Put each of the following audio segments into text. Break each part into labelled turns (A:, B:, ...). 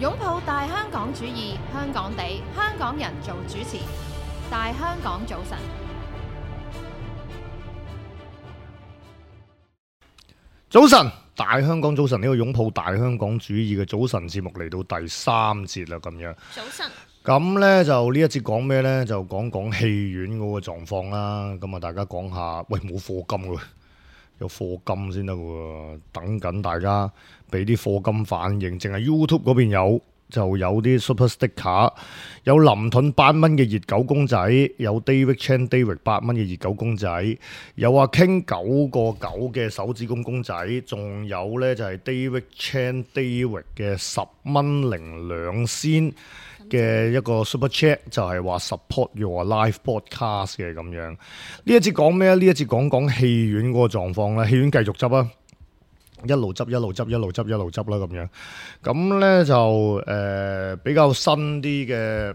A: 擁抱大香港主義，香港地，香港人做主持。大香港早晨，
B: 早晨，大香港早晨，呢個擁抱大香港主義嘅早晨節目嚟到第3節啦，咁樣。
A: 早晨。
B: 咁呢就呢一節講咩呢？就講講戲院嗰個狀況啦。咁啊，大家講下，喂，冇課金喎，有課金先得喎，等緊大家俾啲課金反應。淨係 YouTube 嗰邊有。就有啲 Super Sticker， 有林盾8蚊嘅熱狗公仔，有 David Chan David 8蚊嘅熱狗公仔，有阿 King 9個9嘅手指公公仔，仲有呢就係 David Chan David 嘅10蚊02仙嘅一個 Super Chat， 就係話 support your live podcast 嘅咁樣。呢一節講咩？呢一節講講戲院嗰個狀況啦，戲院繼續執啊！一路執啦咁樣，咁呢就比較新啲嘅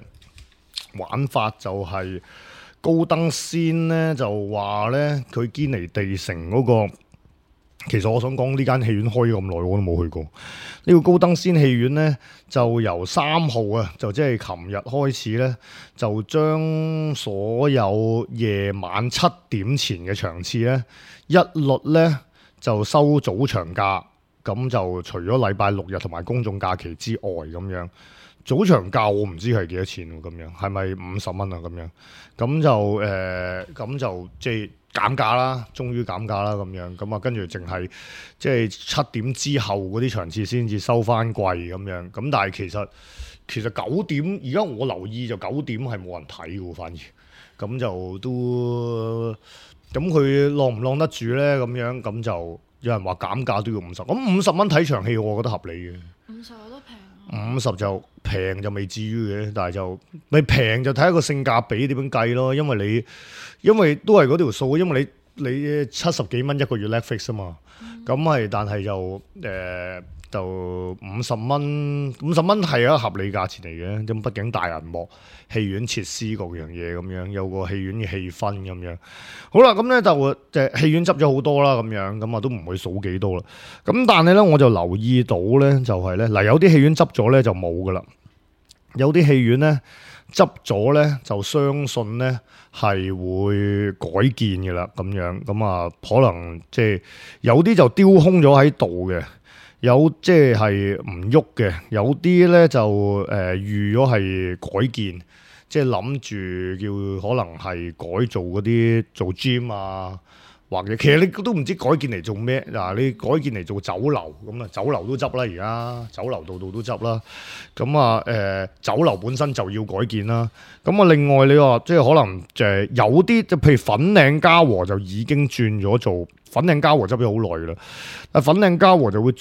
B: 玩法就係高登仙呢就話呢，佢堅尼地城嗰個，其實我想講呢間戲院開咗咁耐我都冇去過。呢個高登仙戲院呢，就由3號啊，就即係琴日開始呢，就將所有夜晚7點前嘅場次呢，一律呢就收早場價，咁就除咗禮拜6日同埋公眾假期之外咁樣，早場價我唔知係幾多錢喎，咁樣係咪50蚊啊？咁就即係減價啦，終於減價啦咁樣，咁啊跟住淨係即係7點之後嗰啲場次先至收翻貴咁樣，咁但係其實9點而家我留意就9點係冇人睇嘅喎，反而咁就都。咁佢晾唔晾得住呢？咁樣咁就有人話減價都要50，咁50蚊睇場戲我覺得合理嘅。50我都平。50就平就未至於嘅，但係就你平就睇一個性價比點樣計咯，因為都係嗰條數，因為你70幾蚊一個月 Netflix 啊嘛，咁係但係就50蚊係一個合理價錢嚟嘅，咁畢竟大銀幕、戲院設施各樣嘢咁樣，有個戲院嘅氣氛咁樣。好啦，咁咧就戲院執咗好多啦，咁樣咁啊都唔會數幾多啦。咁但係咧我就留意到咧，就係咧嗱，有啲戲院執咗咧就冇噶啦，有啲戲院咧執咗咧就相信咧係會改建嘅啦，咁樣咁啊可能即係有啲就丟空咗喺度嘅。有即係唔喐嘅，有啲咧就預咗係改建，即係諗住叫可能係改造嗰啲做 gym 啊，或者其實你都唔知改建嚟做咩嗱，你改建嚟做酒樓咁啊，酒樓都執啦，而家酒樓度都執啦，咁啊酒樓本身就要改建啦，咁啊另外你話即係可能有啲即係譬如粉嶺嘉禾就已經轉咗做。粉嶺嘉禾執咗好耐啦，但粉嶺嘉禾就會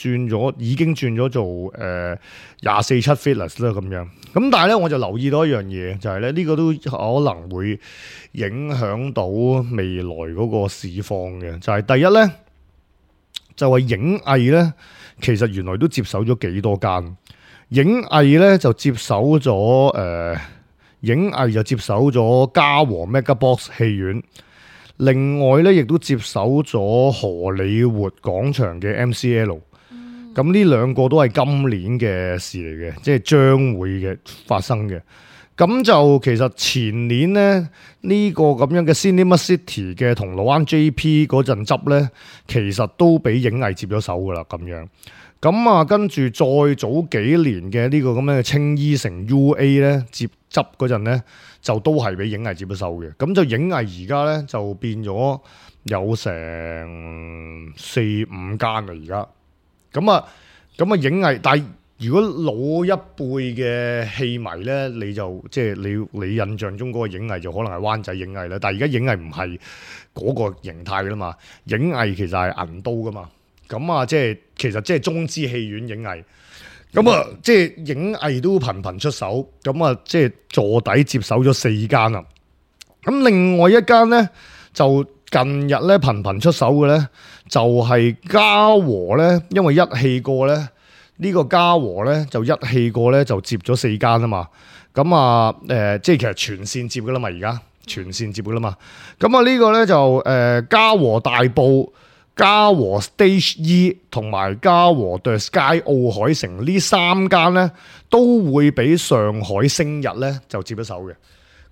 B: 已經轉咗做247 Fitness 啦咁樣。咁但係咧，我就留意到一樣嘢，就係咧呢個都可能會影響到未來嗰個市況嘅。就係第一咧，就係影藝咧，其實原來都接手咗幾多間。影藝咧就接手咗影藝就接手咗嘉禾 Megabox 戲院。另外咧，亦都接手咗荷里活廣場嘅 MCL，咁呢兩個都係今年嘅事嚟嘅，即係將會嘅發生嘅。咁就其實前年咧呢個咁樣嘅 Cinema City 嘅銅鑼灣 JP 嗰陣執咧，其實都俾影藝接咗手噶啦，咁樣。咁啊，跟住再早幾年嘅呢個咁樣嘅青衣城 UA 咧接執嗰陣咧，就都係俾影藝接咗手嘅。咁就影藝而家咧就變咗有成4-5間啦，而家。咁啊影藝，但係如果老一輩嘅戲迷咧，你就即係你印象中嗰個影藝就可能係灣仔影藝啦。但係而家影藝唔係嗰個形態噶啦嘛，影藝其實係銀都噶嘛。咁啊，其實即係中資戲院影藝，咁啊，即係影藝都頻頻出手，咁啊，即係坐底接手咗4間啦。咁另外一間咧，就近日咧頻頻出手嘅咧，就係嘉禾咧，因為一氣過咧，呢個嘉禾咧就一氣過咧就接咗4間啊嘛。咁啊，即係其實全線接噶啦嘛，而家全線接噶啦嘛。咁啊，呢個咧就嘉禾大埔。嘉禾 Stage E 同埋嘉禾 The Sky 奧海城呢3間咧，都會俾上海星日咧就接一手嘅。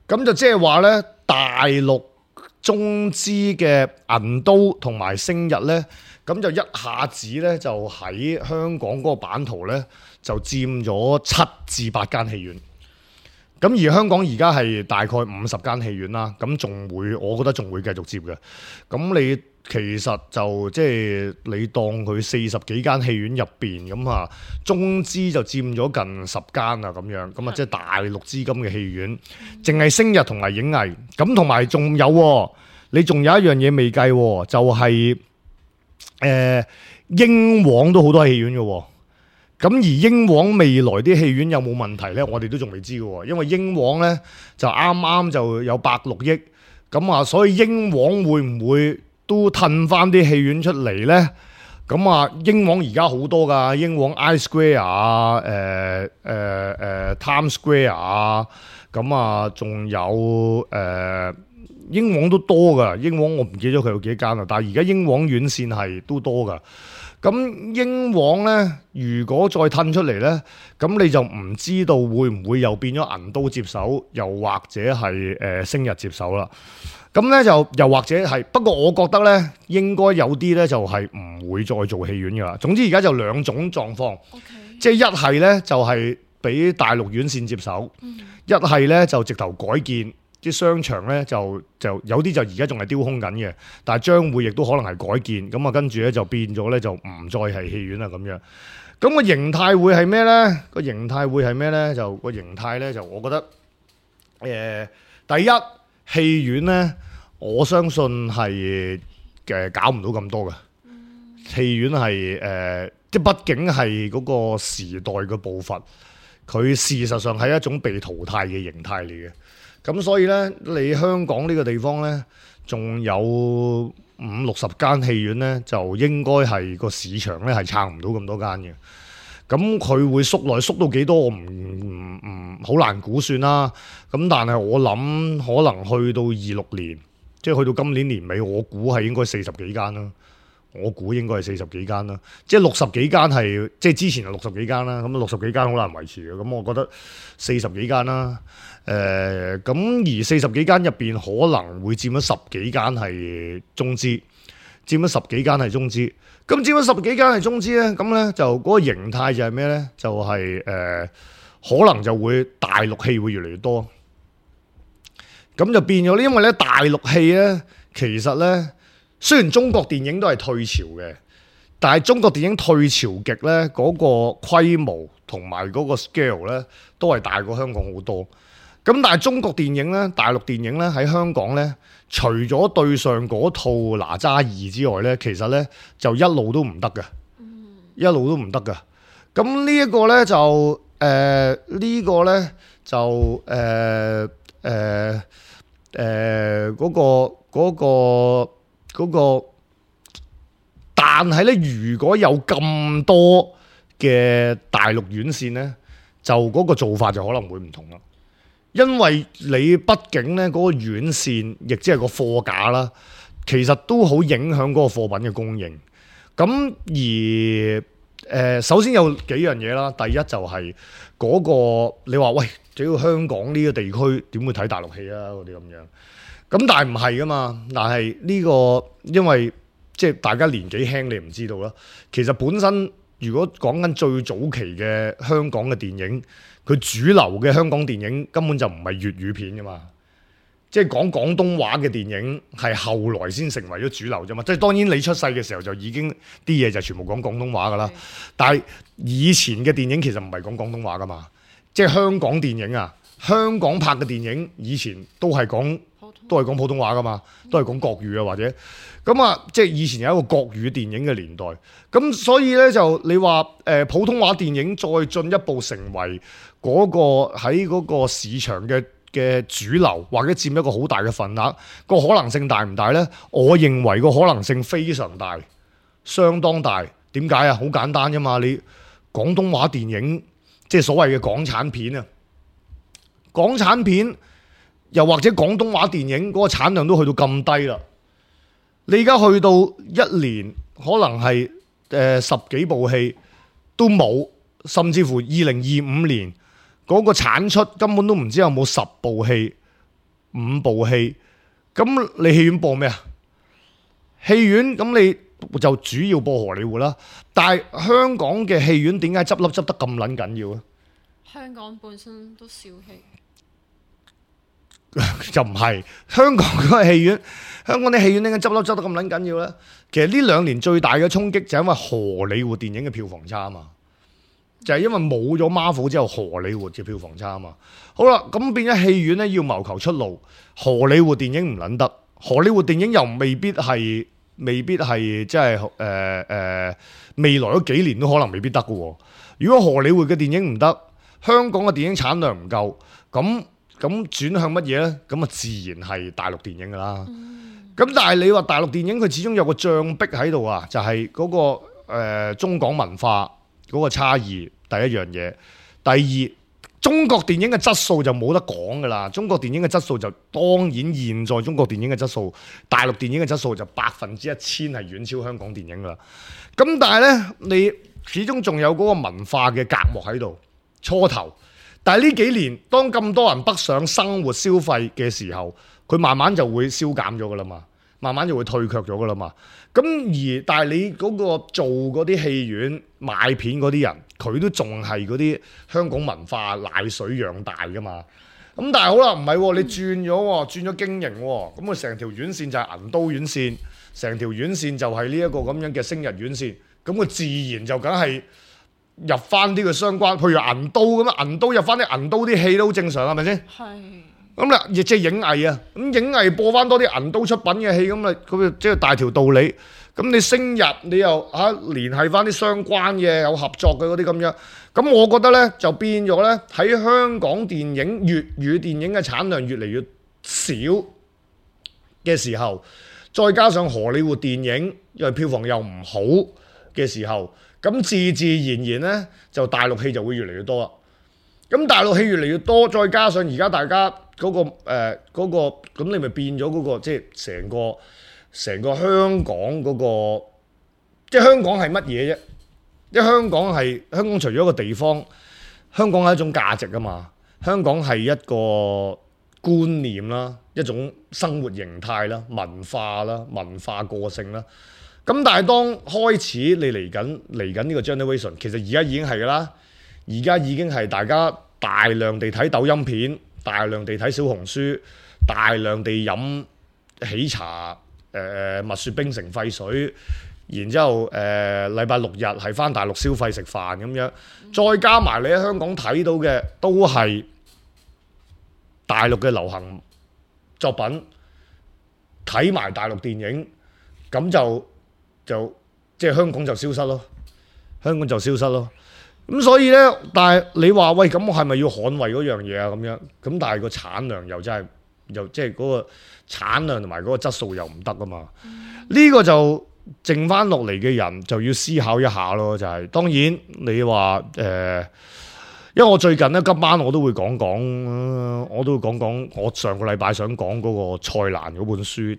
B: 咁就即係話咧，大陸中資嘅銀都同埋星日咧，咁就一下子咧就喺香港嗰個版圖咧就佔咗7至8間戲院。咁而香港而家係大概50間戲院啦，咁仲會，我覺得仲會繼續接嘅。咁你其實就即係你當佢40幾間戲院入邊咁啊，中資就佔咗近10間啊咁樣，咁啊即係大陸資金嘅戲院，淨係星日同埋影藝，咁同埋仲有，你仲有一樣嘢未計，就係英皇都好多戲院嘅。咁而英皇未來啲戲院有冇問題呢？我哋都仲未知嘅，因為英皇呢就啱啱就有106億，咁啊，所以英皇會唔會都褪翻啲戲院出嚟呢？咁啊，英皇而家好多㗎，英皇 I Square 啊，Times Square 啊，咁啊，仲有英皇都多㗎，英皇我唔記得佢有幾間啦，但係而家英皇院線係都多㗎。咁英皇咧，如果再褪出嚟咧，咁你就唔知道會唔會又變咗銀都接手，又或者係星日接手啦。咁咧就又或者係，不過我覺得咧應該有啲咧就係唔會再做戲院噶啦。總之而家就兩種狀況，即係一係咧就係俾大陸院線接手，一係咧就直頭改建。啲商場咧就有啲就而家仲係丟空緊嘅，但係將會亦都可能係改建，咁啊跟住咧就變咗咧就唔再係戲院啦咁樣。咁個形態會係咩咧？個形態會係咩咧？就個形態咧就我覺得第一戲院咧，我相信係搞唔到咁多嘅。戲院係即係畢竟係嗰個時代嘅步伐，佢事實上係一種被淘汰嘅形態嚟嘅。咁所以咧，你香港呢個地方咧，仲有50-60間戲院咧，就應該係個市場咧係撐唔到咁多間嘅。咁佢會縮到幾多，我唔好難估算啦。咁但係我諗可能去到26年，即係去到今年年尾，我估係應該40幾間啦。我估應該係40幾間啦，即係60幾間係，即係之前係60幾間啦，咁60幾間好難維持嘅，咁我覺得40幾間啦，咁而40幾間入邊可能會佔咗10幾間係中資，佔咗10幾間係中資，咁佔咗10幾間係中資咧，咁咧就嗰個形態就係咩咧？就係可能就會大陸戲會越嚟越多，咁就變咗咧，因為咧大陸戲咧其實咧。雖然中國電影都係退潮嘅，但係中國電影退潮極咧，嗰個規模同埋嗰個 scale 咧，都係大過香港好多。咁但係中國電影咧，大陸電影咧喺香港咧，除咗對上嗰套哪吒2之外咧，其實咧就一路都唔得嘅，一路都唔得嘅。咁呢一個咧就呢個咧就嗰個，但係咧，如果有咁多嘅大陸院線咧，就嗰個做法就可能會唔同啦。因為你畢竟咧嗰個院線，亦即係個貨架啦，其實都好影響嗰個貨品嘅供應。咁而首先有幾樣嘢啦，第一就係嗰個你話喂，只要香港呢個地區點會睇大陸戲啊？嗰啲咁樣。咁但係唔係噶嘛？但係呢個因為即係大家年紀輕，你唔知道啦。其實本身如果講緊最早期嘅香港嘅電影，佢主流嘅香港電影根本就唔係粵語片噶嘛。即係講廣東話嘅電影係後來先成為咗主流啫嘛。即係當然你出世嘅時候就已經啲嘢就全部講廣東話噶啦。但係以前嘅電影其實唔係講廣東話噶嘛。即係香港電影啊，香港拍嘅電影以前都係講普通話噶嘛，都係講國語啊，或者咁啊，即係以前有一個國語電影嘅年代，咁所以咧就你話普通話電影再進一步成為嗰個喺嗰個市場嘅主流，或者佔一個好大嘅份額，個可能性大唔大咧？我認為個可能性非常大，相當大。點解啊？好簡單啫嘛，你廣東話電影即係所謂嘅港產片啊，港產片。又或者廣東話電影嗰個產量都去到咁低啦，你而家去到一年可能係十幾部戲都冇，甚至乎2025年嗰個產出根本都唔知有冇10部戲、5部戲。咁你戲院播咩啊？戲院咁你就主要播荷里活啦。但係香港嘅戲院點解執笠執得咁撚緊要啊？
C: 香港本身都少戲，
B: 就唔係香港嗰個戲院，香港啲戲院點解執笠執得咁撚緊要咧？其實呢2年最大嘅衝擊就係因為荷里活電影嘅票房差啊嘛，就係因為冇咗 Marvel 之後，荷里活嘅票房差啊嘛。好啦，咁變咗戲院咧要謀求出路，荷里活電影唔撚得，荷里活電影又未必係即係未來嗰幾年都可能未必得嘅喎。如果荷里活嘅電影唔得，香港嘅電影產量唔夠，咁轉向乜嘢呢？咁啊自然係大陸電影㗎啦。咁但係你話大陸電影佢始終有個障壁喺度啊，就係嗰個中港文化嗰個差異，第一樣嘢。第二，中國電影嘅質素就冇得講㗎啦。中國電影嘅質素就當然現在中國電影嘅質素，大陸電影嘅質素就1000%係遠超香港電影㗎啦。咁但係呢，你始終仲有嗰個文化嘅隔膜喺度。初頭，但係呢幾年當咁多人北上生活消費嘅時候，佢慢慢就會消減咗噶啦嘛，慢慢就會退卻咗噶啦嘛。咁但係你嗰個做嗰啲戲院買片嗰啲人，佢都仲係嗰啲香港文化奶水養大噶嘛。咁但係好啦，唔係喎，你轉咗經營喎，咁佢成條院線就係銀都院線，成條院線就係呢一個咁樣嘅星日院線，咁佢自然就梗係入翻啲嘅相關，譬如銀都咁啊，銀都入翻啲銀都啲戲都好正常，係咪先？係。咁啦，亦即係影藝啊，咁影藝播翻多啲銀都出品嘅戲，咁啊，咁即係大條道理。咁你星日你又聯繫翻啲相關嘅有合作嘅嗰啲咁樣，咁我覺得咧就變咗咧喺香港電影粵語電影嘅產量越嚟越少嘅時候，再加上荷里活電影因為票房又唔好嘅時候。咁自然咧，就大陸戲就會越嚟越多啦。咁大陸戲越嚟越多，再加上而家大家嗰個咁你咪變咗嗰個即係成個香港嗰個，即係香港係乜嘢啫？因為香港除咗一個地方，香港係一種價值啊嘛。香港係一個觀念啦，一種生活形態啦，文化啦，文化個性啦。咁但係當開始你嚟緊呢個 generation， 其實而家已經係㗎啦，而家已經係大家大量地睇抖音片，大量地睇小紅書，大量地飲喜茶，蜜雪冰城沸水，然之後禮拜6日係返大陸消費食飯咁樣，再加埋你喺香港睇到嘅都係大陸嘅流行作品，睇埋大陸電影，咁就即係香港就消失咯，香港就消失咯。咁所以呢，但係你話喂，咁我係咪要捍衛嗰樣嘢啊？咁樣咁，但係個產量又真係又即係嗰個產量同埋嗰個質素又唔得啊嘛。呢個就剩翻落嚟嘅人就要思考一下咯。就係當然你話因為我最近咧今晚我都會講我上個禮拜想講嗰個蔡瀾嗰本書，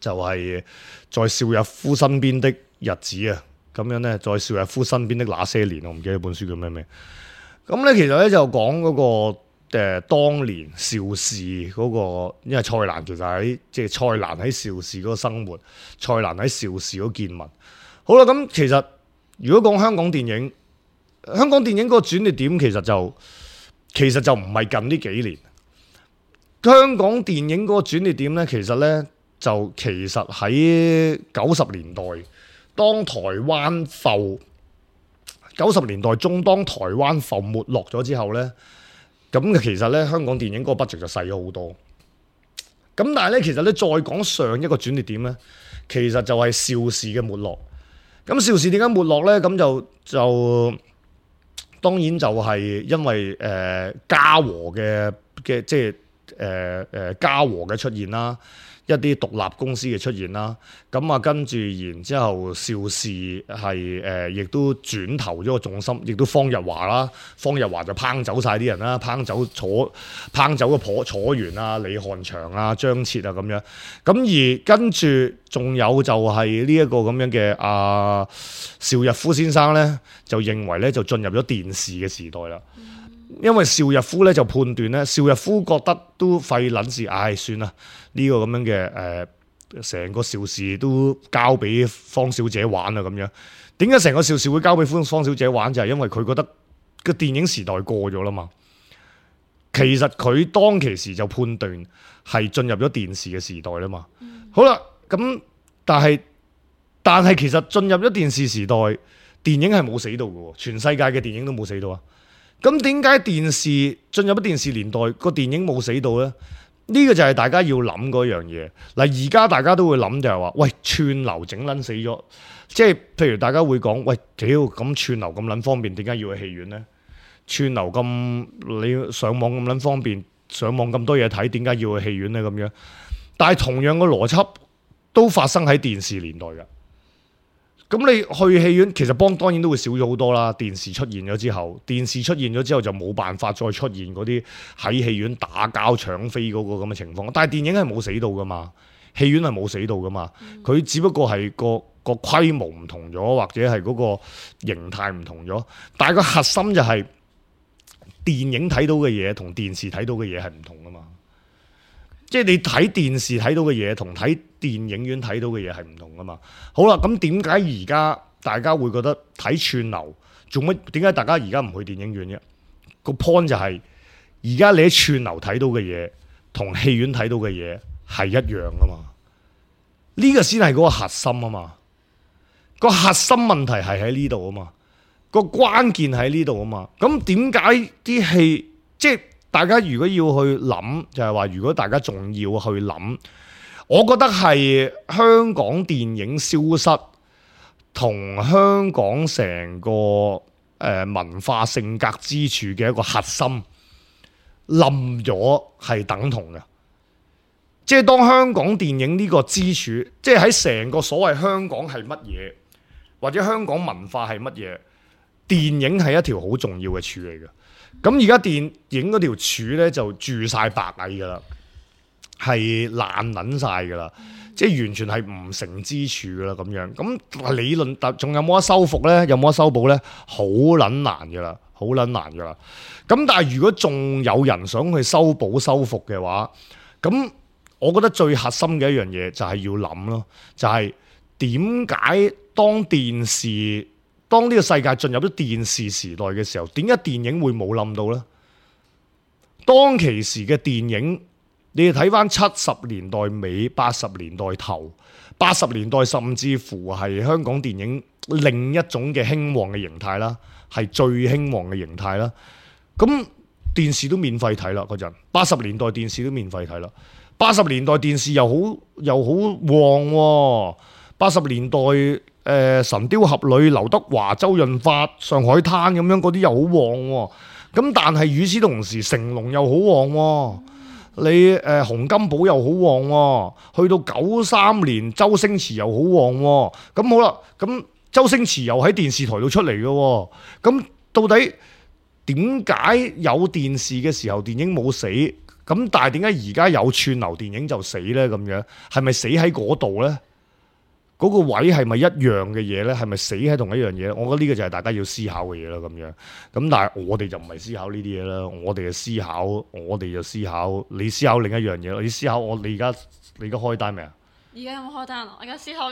B: 就係在邵逸夫身邊的日子啊，咁樣咧，在邵逸夫身邊的那些年，我唔記得本書叫咩。咁咧其實咧就講嗰個當年邵氏嗰個，因為蔡瀾其實喺即係蔡瀾喺邵氏嗰個生活，蔡瀾喺邵氏嗰個見聞。好啦，咁其實如果講香港電影嗰個轉捩點，其實就唔係近呢幾年。香港電影嗰個轉捩點咧，其實喺90年代，當台灣90年代中，當台灣埠沒落咗之後咧，咁其實咧香港電影嗰個 budget 就細咗好多。咁但係咧，其實咧再講上一個轉捩點咧，其實就係邵氏嘅沒落。咁邵氏點解沒落咧？咁就當然就係因為嘉禾嘅即係嘉禾嘅出現啦。一啲獨立公司嘅出現啦。咁啊，跟住然之後邵氏係亦都轉投咗個重心，亦都方日華啦，方日華就烹走晒啲人啦，烹走個楚原啊、李漢祥啊、張徹啊咁樣。咁而跟住仲有就係呢一個咁樣嘅邵逸夫先生咧，就認為咧就進入咗電視嘅時代啦。因為邵逸夫咧就判斷咧，邵逸夫覺得都費撚事，算啦，呢個咁樣嘅成個邵氏都交俾方小姐玩啦咁樣。點解成個邵氏會交俾方小姐玩？就係因為佢覺得個電影時代過咗啦嘛。其實佢當其時就判斷係進入咗電視嘅時代啦嘛。好啦，咁但係其實進入咗電視時代，電影係冇死到嘅，全世界嘅電影都冇死到啊。咁點解電視進入咗電視年代個電影冇死到呢？呢個就係大家要諗嗰樣嘢。嗱，而家大家都會諗就係話，喂，串流整撚死咗，即係譬如大家會講，喂，屌咁串流咁撚方便，點解要去戲院呢？串流咁你上網咁撚方便，上網咁多嘢睇，點解要去戲院呢？咁樣，但係同樣嘅邏輯都發生喺電視年代㗎。咁你去戲院，其實當然都會少咗好多啦。電視出現咗之後就冇辦法再出現嗰啲喺戲院打交搶飛嗰個咁嘅情況。但係電影係冇死到噶嘛，戲院係冇死到噶嘛。佢只不過係個規模唔同咗，或者係嗰個形態唔同咗。但係個核心就係電影睇到嘅嘢同電視睇到嘅嘢係唔同噶嘛。即係你睇電視睇到嘅嘢同睇電影院睇到嘅嘢係唔同噶嘛。好啦，咁點解而家大家會覺得睇串流做乜？點解大家而家唔去電影院啫？個 point 就係而家你喺串流睇到嘅嘢同戲院睇到嘅嘢係一樣噶嘛。呢個先係嗰個核心啊嘛。個核心問題係喺呢度啊嘛。個關鍵喺呢度啊嘛。咁點解啲戲即係？大家如果要去諗，就係話，如果大家仲要去諗，我覺得係香港電影消失同香港成個文化性格支柱嘅一個核心冧咗係等同嘅。即係當香港電影呢個支柱，即係喺成個所謂香港係乜嘢，或者香港文化係乜嘢，電影係一條好重要嘅柱嚟嘅。咁而家電影嗰條柱咧就住晒白蟻噶啦，係爛撚晒噶啦，即係完全係唔成之處噶啦咁樣。咁理論仲有冇得修復咧？有冇得修補咧？好撚難噶啦，好撚難噶啦。咁但係如果仲有人想去修補修復嘅話，咁我覺得最核心嘅一樣嘢就係要諗咯，就係點解當呢個世界進入咗電視時代嘅時候，點解電影會冇冧到呢？當其時嘅電影，你哋睇翻70年代尾、80年代頭、80年代甚至乎係香港電影另一種嘅興旺嘅形態啦，係最興旺嘅形態啦。咁電視都免費睇啦嗰陣，80年代電視都免費睇啦。80年代電視又好旺喎，80年代。神雕俠侶、劉德華、周潤發、上海灘咁樣嗰啲又好旺喎，咁但係與此同時，成龍又好旺喎，你洪金寶又好旺喎，去到93年周星馳又好旺喎，咁好啦，咁周星馳又喺電視台度出嚟嘅喎，咁到底點解有電視嘅時候電影冇死？咁但係點解而家有串流電影就死呢？咁樣係咪死喺嗰度呢？嗰個位係咪一樣嘅嘢呢？係咪死喺同一樣嘢？我覺得呢個就係大家要思考嘅嘢啦。咁樣咁，但係我哋就唔係思考呢啲嘢啦。我哋就思考，你思考另一樣嘢。你思考你而家開單未啊？
C: 而家有冇開單啊？我而家思考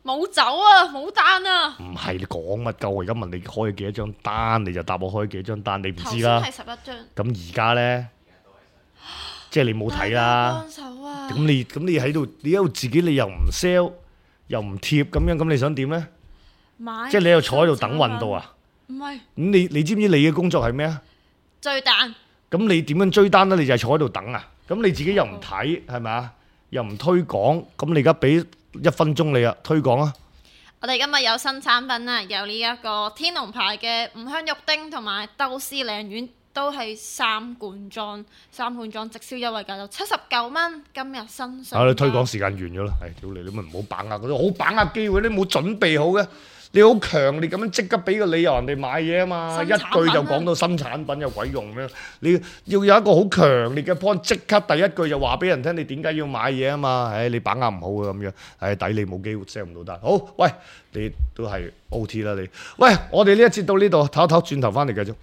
C: 冇走啊，冇單啊。
B: 唔係你講乜鳩？我而家問你開咗幾多張單，你就答我開幾多張單，你唔知啦。
C: 頭先係11張。
B: 咁而家呢？即係你冇睇啦。幫手啊！咁你喺度，你喺度自己，你又唔 sell。又唔貼咁樣，咁你想點呢？即係你又坐喺度等運到啊？
C: 唔係。
B: 咁你知唔知你嘅工作係咩啊？
C: 追單。咁
B: 你點樣追單呢？你就係坐喺度等啊？咁你自己又唔睇，係咪啊？又唔推廣，咁你而家俾1分鐘你啊，推廣啊！
C: 我哋今日有新產品啊，有呢一個天龍牌嘅五香肉丁同埋豆絲鯪魚都係3罐裝直銷優惠價就79蚊，今日新上。
B: 你推廣時間完咗啦，屌你咪唔好把握嗰啲好把握機會，你冇準備好嘅，你好強烈咁樣即刻俾個理由人哋買嘢啊嘛，一句就講到新產品有鬼用咩？你要有一個好強烈嘅 point，即刻第一句就話俾人聽你點解要買嘢啊嘛，你把握唔好嘅咁樣，抵你冇機會 sell 唔到單。好，喂，你都係 OT 啦你，喂，我哋呢一節到呢度，唞一唞，轉頭翻嚟繼續。